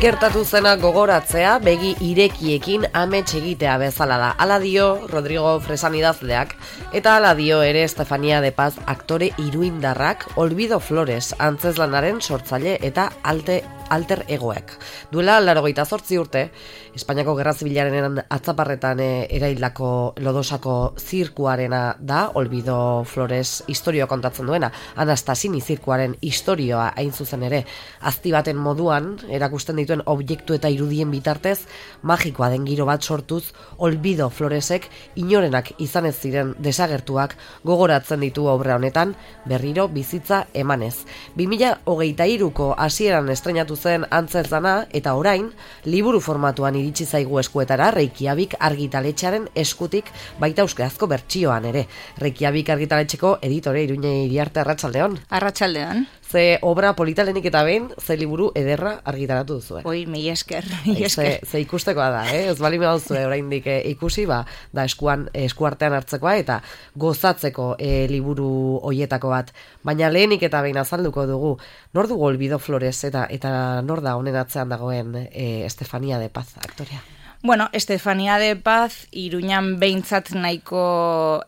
Gertatu zena gogoratzea begi irekiekin amets egitea bezala da. Hala dio Rodrigo Fresan idazleak, eta hala dio ere Estefania de Paz aktore iruindarrak Olvido Flores antzezlanaren sortzaile eta alter egoek. Duela 88 urte, Espainiako Gerra Zibilaren atzaparretan eraildako Lodosako zirkuarena da Olvido Flores istorioa kontatzen duena. Anastasini zirkuaren istorioa hain zuzen ere azti baten moduan erakusten dituen objektu eta irudien bitartez magikoa den giro bat sortuz Olvido Floresek inorenak izan ez ziren desagertuak gogoratzen ditu obra honetan berriro bizitza emanez. 2023ko hasieran estreinatu zen antzezlana eta orain liburu formatuan iritsi zaigu eskuetara Reykjavik argitaletxearen eskutik baita euskarazko bertsioan ere. Reykjavik argitaletxeko editore Iruña Iriarte, arratsaldeon. Arratsaldean. Ze obra politalenik eta behin, ze liburu ederra argitaratu duzu. Oi, mila esker. Ze ikustekoa da, ez bali mehauzue oraindik ikusi, da eskuartean hartzekoa eta gozatzeko liburu hoietako bat. Baina lehenik eta behin azalduko dugu, nor dugu Olvido Flores eta nor da honen atzean dagoen Estefania de Paz aktorea? Bueno, Estefania de Paz Iruñan behintzat nahiko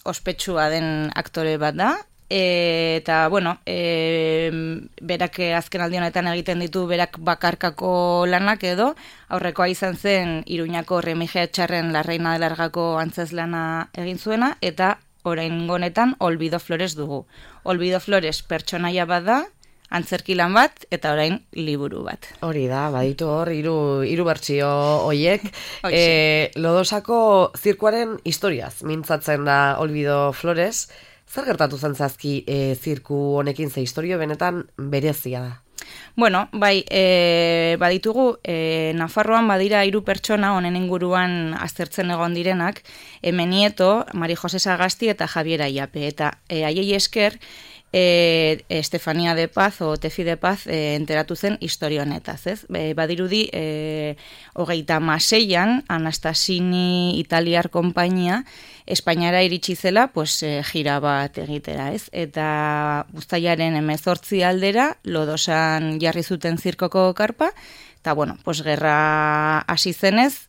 ospetsua den aktore bat da. Eta, bueno, berak azken aldi honetan egiten ditu berak bakarkako lanak edo, aurrekoa izan zen Iruñako Remigio Etxarren La Reina de Largako antzezlana egin zuena, eta orain honetan Olvido Flores dugu. Olvido Flores pertsonaia bat da, antzerkilan bat, eta orain liburu bat. Hori da, baditu hor, hiru bertsio hoiek. Lodosako zirkuaren historiaz mintzatzen da Olvido Flores. Zer gertatu zen zazki zirku honekin, ze historio benetan berezia da? Bueno, bai, baditugu, Nafarroan badira 3 pertsona honen inguruan aztertzen egon direnak, Nieto, Mari Jose Sagasti eta Javier Ayape, eta haiei esker, Estefania de Paz o Tefi de Paz enteratu zen historio honetaz, ez? Badirudi 36an Anastasini Italiar konpainia Espainiara iritsi zela, gira bat egitera, ez? Eta uztailaren 18 aldera Lodosan jarri zuten zirkoko karpa, eta bueno, gerra hasi zenez,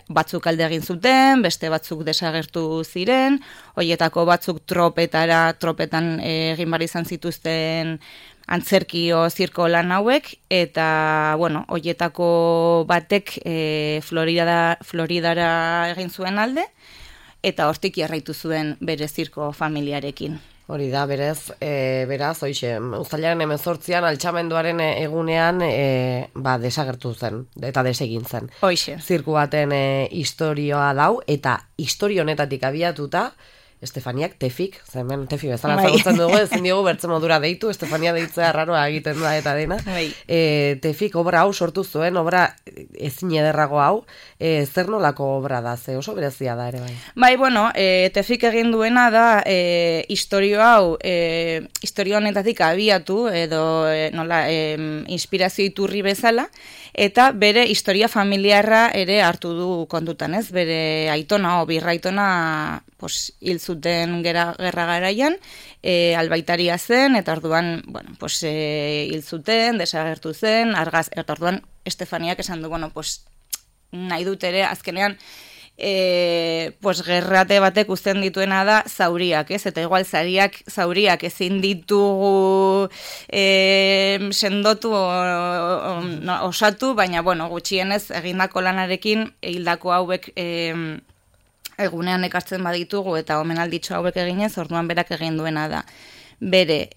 batzuk alde egin zuten, beste batzuk desagertu ziren, hoietako batzuk tropetan egin bar izan zituzten antzerkio zirko lan hauek, eta, bueno, hoietako batek Floridara egin zuen alde, eta hortik jarraitu zuen bere zirko familiarekin. Hori da, beraz, hoixe, uztailaren 18an altxamenduaren egunean desagertu zen, eta desegin zen. Hoixe. Zirku baten istorioa dau, eta historio honetatik abiatuta, Estefaniak Tefik, hemen Tefi bezala zagutzen dugu, ezin diogu bertze modura deitu, Estefania deitzea arraroa egiten da eta dena. Tefik obra hau sortu zuen, obra ezin ederrago hau, zer nolako obra da, ze oso berezia da ere bai? Bai, bueno, Tefik egin duena da historio hau, historio honetatik abiatu, edo inspirazio iturri bezala, eta bere historia familiarra ere hartu du kontutan, ez? Bere aitona o birraitona hil zuten gerra garaian, albaitaria zen, eta orduan, bueno, hil zuten, desagertu zen, eta orduan Estefaniak esan du, bueno, nahi dut ere, azkenean, gerrate batek uzten dituena da zauriak, ez? Eta igual zauriak ezin ditugu sendotu osatu, baina, bueno, gutxienez egindako lanarekin hildako hauek egunean ekartzen baditugu eta omenalditxo hauek eginez, orduan berak egin duena da. Bere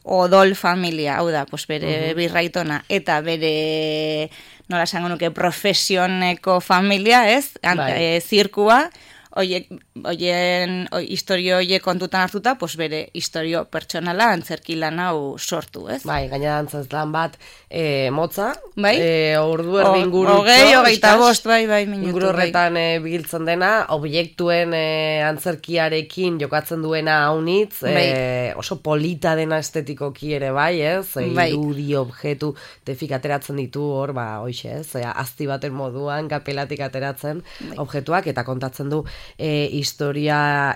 odol familia, hau da, bere birraitona, eta bere, nola esango nuke, profesioneko familia, ez? Zirkua, historio horiek kontutan hartuta, bere historio pertsonala antzerki lan hau sortu, ez? Bai, gainera antzezlan bat motza, bai? Ordu erdi inguru. 25, bai, minutu. Inguru horretan biltzen dena, objektuen antzerkiarekin jokatzen duena haunitz, oso polita dena estetikoki ere bai, ez? Irudi, objektu, Tefik ateratzen ditu hor, hoixe, ez? Azti baten moduan, kapelatik ateratzen objektuak, eta kontatzen du historia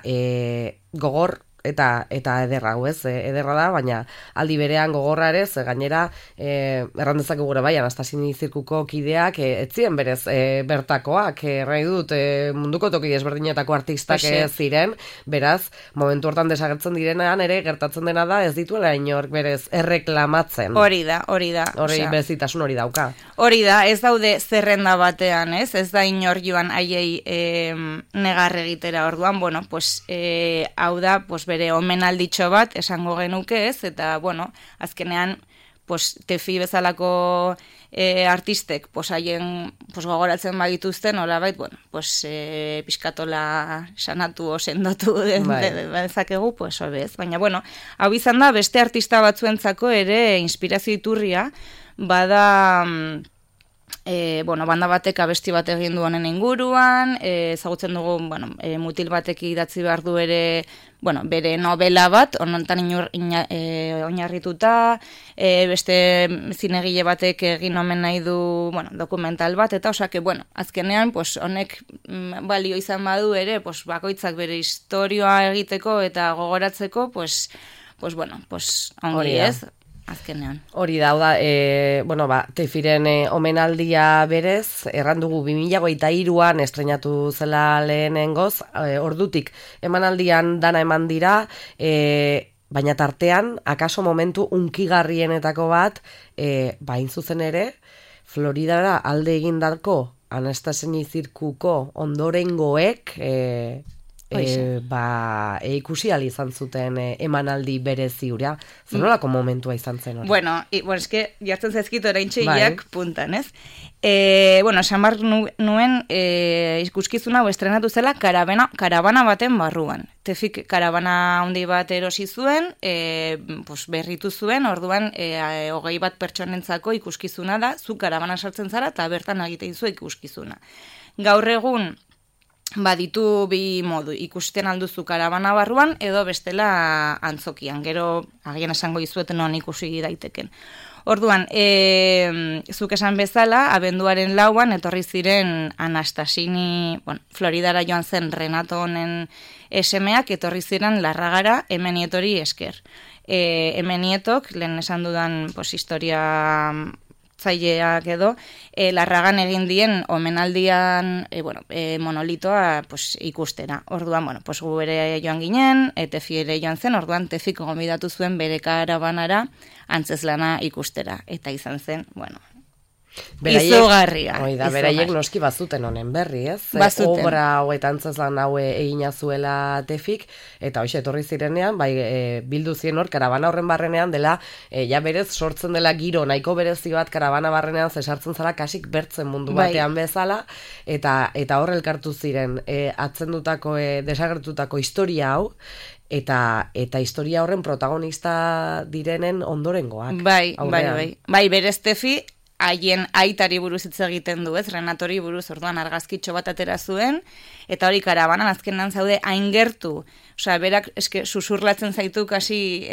gogor eta ederra hau ez, ederra da, baina aldi berean gogorra ere, gainera errandezak gure bai, Anastasini zirkuko kideak etzien berez bertakoak, nahi dut munduko toki desberdinetako artistak ziren, beraz, momentu hortan desagertzen direnean ere gertatzen dena da, ez dituela inork berez erreklamatzen. Hori da. Hori berezitasun hori dauka. Hori da, ez daude zerrenda batean, ez da inor joan haiei negar egitera orduan, bueno, pues, hau da, pues, bere omenalditxo bat esango genuke ez, eta, bueno, azkenean, pues, Tefi bezalako artistek, pues, haien pues, gogoratzen bagituzten, nolabait, bueno, pues, pixkatola sanatu o sendotu dezakegu, pues, obez. Baina, bueno, hau izan da, beste artista batzuentzako ere inspirazio iturria, bada... banda batek abesti bat egin du honen inguruan, ezagutzen dugu, mutil batek idatzi behar du ere, bere novela bat, honetan oinarrituta, beste zinegile batek egin omen nahi du, dokumental bat, eta osake, azkenean, pues, honek balio izan badu ere, pues, bakoitzak bere historioa egiteko eta gogoratzeko, pues, ongi ez, azkenean. Hori da, Tefiren omenaldia berez, errandugu 2023an estrenatu zela lehenengoz, ordutik emanaldian dana eman dira, baina tartean, akaso momentu unkigarrienetako bat, bain zuzen ere, Floridara alde egindako Anastasini zirkuko ondorengoek, ikusi izan zuten emanaldi berezi hura. Zenolako momentua izan zen hori? Eske, jartzen zaizkit oraintxeiak puntan, ez? Esan behar nuen ikuskizuna estrenatu zela karabana baten barruan. Tefik karabana handi bat erosi zuen, berritu zuen, orduan 20 bat pertsonentzako ikuskizuna da, zu karabana sartzen zara eta bertan egiten zu ikuskizuna. Gaur egun, ditu bi modu, ikusten alduzu karabana barruan edo bestela antzokian, gero agian esango dizueten non ikusi daiteken. Orduan, zuk esan bezala, abenduaren 4an etorri ziren Anastasini, Floridara joan zen Renato honen esemeak, etorri ziren Larragara Emenietori esker. Emenietok, lehen esan dudan historia zaileak edo, Larragan egin dien omenaldian monolitoa ikustera. Orduan, gu ere joan ginen, Tefi ere joan zen, orduan Tefik gomidatu zuen bere karabanara antzeslana ikustera. Eta izan zen, izugarria. Beraiek noski bazuten honen berri, ez? Bazuten. Obra hau eta antzeslan hau egina zuela Tefik, eta hoxe etorri zirenean, bildu zien hor, karabana horren barrenean dela, ja berez sortzen dela giro, nahiko berezi bat karabana barrenean zesartzen zara kasik bertzen mundu batean bezala, eta hor elkartu ziren, atzendutako, desagertutako historia hau, eta historia horren protagonista direnen ondorengoak. Bai, berez Tefi, haien aitari buruz hitz egiten du, ez? Renatori buruz, orduan argazkitxo bat atera zuen, eta hori karabanan azkenan zaude hain gertu, berak eske susurlatzen zaitu kasi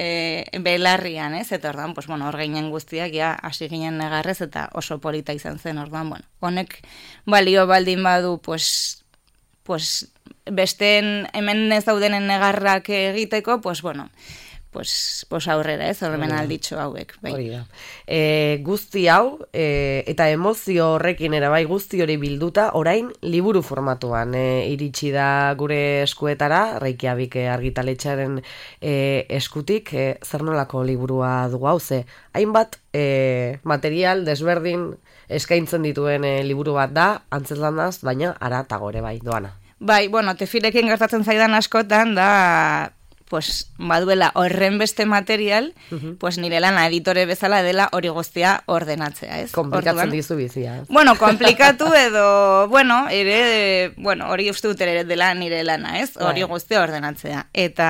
belarrian, ez? Eta orduan, hor ginen guztiak, hasi ginen negarrez, eta oso polita izan zen, orduan, honek balio baldin badu, besteen hemen ez daudenen negarrak egiteko, aurrera, ez, horremen alditxo hauek. Hori da. Guzti hau, eta emozio horrekin bai guzti hori bilduta, orain liburu formatuan iritsi da gure eskuetara, Reykjavik argitaletxearen eskutik, zer nolako liburua dugu hau, ze hainbat material desberdin eskaintzen dituen liburu bat da, antzeslanaz, baina aratago ere bai, doana. Bai, Tefirekin gertatzen zaidan askotan da, baduela horren beste material, nire lana editore bezala dela hori guztia ordenatzea, ez? Komplikatzen dizu bizia. Komplikatu edo, hori uste dut ere dela nire lana, ez? Hori guztia ordenatzea. Eta,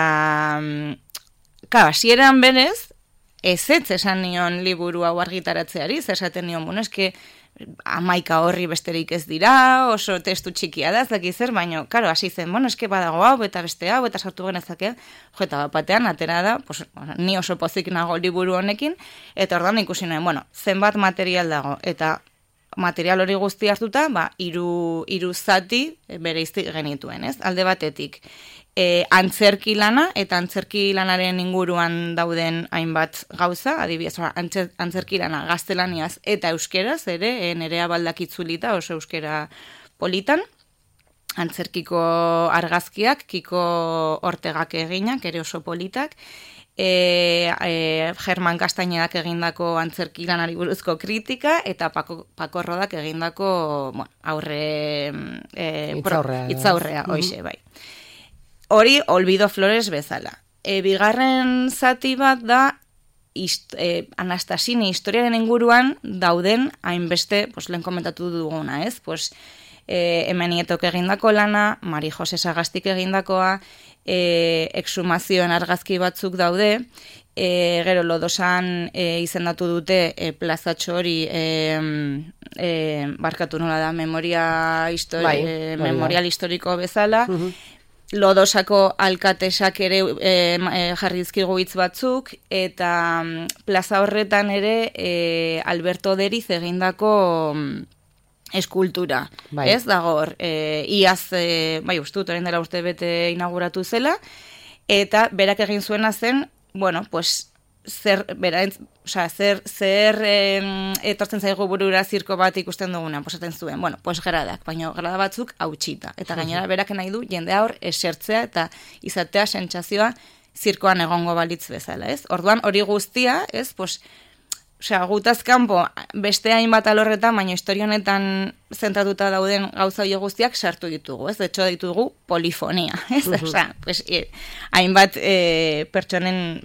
hasieran berez, ez esan nion liburu hau argitaratzeari, esaten nion, eske 11 horri besterik ez dira, oso testu txikia da, ez dakiz zer, baina, hasi zen, eske badago hau, eta beste hau, eta sartu genezake, eta batean, atera da, ni oso pozik nago liburu honekin, eta ordan ikusi nuen, zenbat material dago, eta material hori guzti hartuta, hiru zati bereizti genituen, ez? Alde batetik, antzerki lana, eta antzerki lanaren inguruan dauden hainbat gauza, adibidez, antzerki lana gaztelaniaz eta euskeraz, ere, Nerea Baldakitzulita, oso euskera politan, antzerkiko argazkiak, Kiko Ortegak eginak, ere oso politak, Germán Kastainedak egindako antzerki lanari buruzko kritika, eta Pako Rodak egindako aurre hitzaurrea, hoize, bai. Hori, Olvido Flores bezala. Bigarren zati bat da, Anastasini historiaren inguruan dauden hainbeste, lehen komentatu duguna, ez? Hemen Nietok egindako lana, Mari Jose Sagastik egindakoa, exhumazioen argazki batzuk daude, gero Lodosan izendatu dute plazatxo hori barkatu nola da, memorial historiko bezala, Lodosako alkatesak ere jarri dizkigu hitz batzuk, eta plaza horretan ere Alberto Deriz egindako eskultura, ez dago hor, iaz, ustut, orain dela urte bete inauguratu zela, eta berak egin zuena zen, zer etortzen zaigu burura zirko bat ikusten duguna, esaten zuen, gradak, baina grada batzuk hautsita, eta gainera berak nahi du jendea hor esertzea eta izatea sentsazioa zirkoan egongo balitz bezala, ez? Orduan hori guztia, ez, gutaz kanpo beste hainbat alorretan, baina historia honetan zentratuta dauden gauza hori guztiak sartu ditugu, ez? De hecho ditugu polifonia, ez? Hainbat pertsonen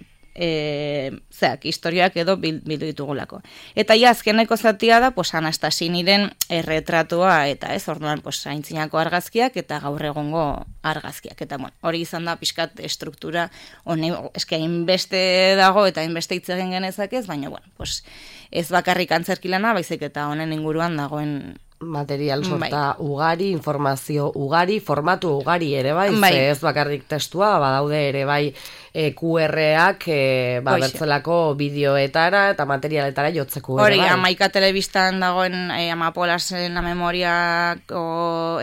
historiak edo bildu ditugulako. Eta azkeneko zatia da, Anastasiniren erretratua, eta ez, orduan, aintzinako argazkiak eta gaur egongo argazkiak. Eta, hori izan da, pixkat struktura, eske hainbeste dago eta hainbeste hitz egin genezakez, baina, ez bakarrik antzerki lana, baizik eta honen inguruan dagoen material sorta ugari, informazio ugari, formatu ugari ere bai, ez bakarrik testua, badaude ere bai QR-ak bertzelako bideoetara eta materialetara jotzeko ere bai. Hori, Amaika telebistan dagoen Amapolasen la memoriako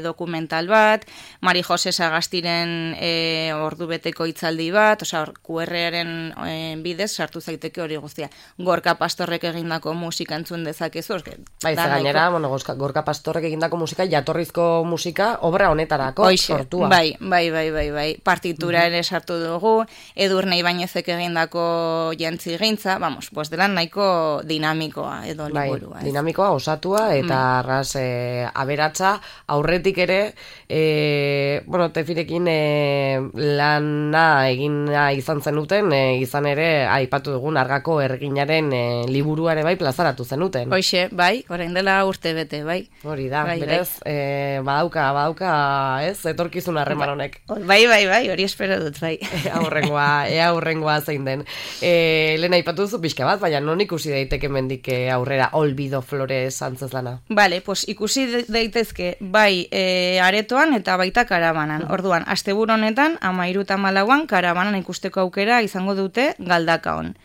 dokumental bat, Mari Jose Sagastiren ordubeteko hitzaldi bat, QR-aren bidez sartu zaiteke hori guztia. Gorka Pastorrek egindako musika entzun dezakezu. Bai, gainera, Gorka Pastorrek egindako musika, jatorrizko musika, obra honetarako sortua. Bai. Partitura ere sartu dugu, Edurne Ibañezek egindako jantzi gintza, dela nahiko dinamikoa edo liburua. Bai, dinamikoa, osatua, eta arras aberatsa, aurretik ere, Tefirekin lana egina izan zenuten, izan ere, aipatu dugun argako erginaren liburuare bai plazaratu zenuten. Hoxe, bai, orain dela urte bete, bai. Hori da, berez, badauka, ez, etorkizun harreman honek. Bai, hori espero dut, bai. Aurrengoa zein den. Lehen aipatu duzu pixka bat, baina non ikusi daiteke mendik aurrera Olvido Flores antzezlana? Bale, ikusi daitezke, bai, aretoan eta baita karabanan. Orduan, asteburu honetan, 13 eta 14 karabanan ikusteko aukera izango dute Galdakaon.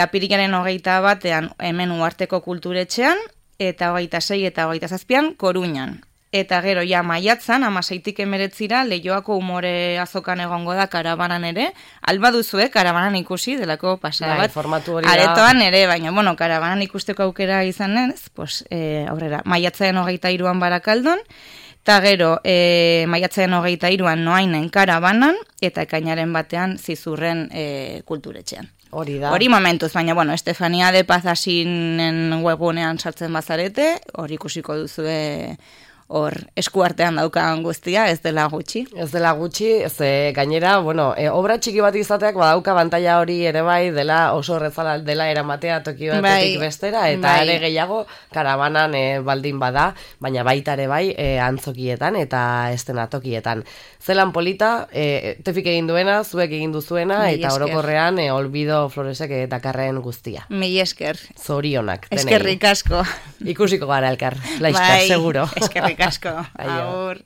Apirilaren 21 hemen Uharteko Kulturetxean, eta 26 eta 27 Koruñan. Eta gero maiatzan, 16tik 19 Leioako umore azokan egongo da karabanan ere, alba duzue karabanan ikusi delako pasada bat. Formatu hori aretoan ere, baina, karabanan ikusteko aukera izan ez, aurrera, maiatzaren 23an Barakaldon, eta gero, maiatzaren 23an Noainen karabanan, eta ekainaren batean Zizurren Kulturetxean. Hori momentuz, baina, Estefania de Paz Asinen webgunean sartzen bazarete, hori ikusiko duzue hor eskuartean daukan guztia, ez dela gutxi. Ez dela gutxi, gainera, obra txiki bat izateak badauka bantaila hori ere bai, dela oso horrezala dela eramatea toki batetik bestera, eta ere gehiago karabanan baldin bada, baina baita ere bai antzokietan eta estenatokietan. Zelan polita, Tefik egin duena, zuek egin duzuena, eta orokorrean Olvido Floresek dakarren guztia. Mila esker. Zorionak. Eskerrik asko. Ikusiko gara elkar, laizka, seguro. Eskerrik asko. Agur.